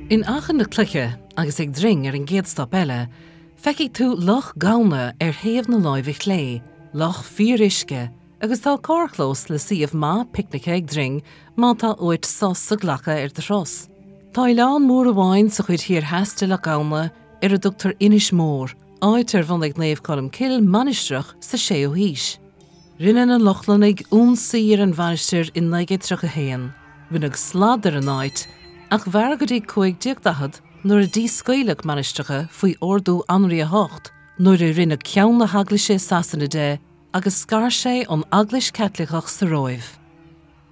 In Achadh na Cloiche agus ag dring ar an gcéad stop eile, feicfidh tú Loch Gamhna ar thaobh na láimhe clé, loch fíoruisce, agus tá carrchlós le suíomh maith picnice ag dring má tá uait sos a ghlacadh ar do thuras. Tá oileán mór amháin sa chuid thiar theas de Loch Gamhna ar a dtugtar Inis Mór, áit ar bhunaigh Naomh Colm Cille mainistreach sa 6ú haois. Rinne na Lochlannaigh ionsaí ar an mhainistir i 1931. Rinneadh slad ar an áit, ach mhair go dtí 1540 nuair a díscaoileadh mainistreacha faoi ordú Anraí a hOcht nuair a rinneadh ceann na hEaglaise i Sasana de agus scar sé ón Eaglais Chaitliceach sa Róimh.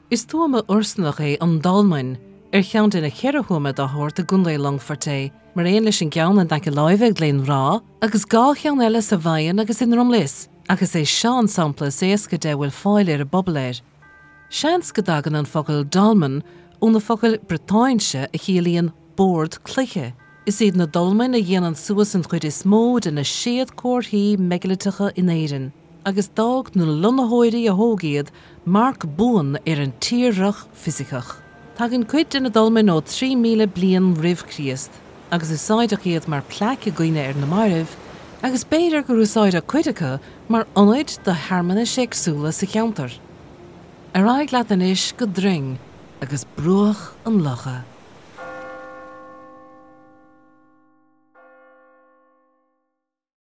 Is tuama ursanach é an Dolmain, ar cheann de na cheithre thuama dá shórt i gContae Longfoirt é, mar aon leis an gceann in aice láimhe ag Gleann Bhreá agus 2 cheann eile sa Mhaighneann agus i nDromlios, ach is é seo an sampla is éasca de a bhfuil fáil ar an bpobal air. Seans go dtagann an focal dolmen ó na focail Briotáinse a chiallaíonn bord cloiche. Is iad na dolmain a dhéanann suas an chuid is mó de na séadchomharthaí meigiliteacha in Éirinn, agus d'fhág na lonnaitheoirí a thóg iad marc buan ar an tírdhreach fisiceach. Tagann cuid de na dolmain ó 3,000 bliain roimh Chríost, agus úsáideadh iad mar plaic i gcuimhne ar na mairbh, agus b'fhéidir gur úsáideadh cuid acu mar ionaid do shearmanais éagsúla sa cheantar. Ar aghaidh leat anois go Droing agus bruach an locha.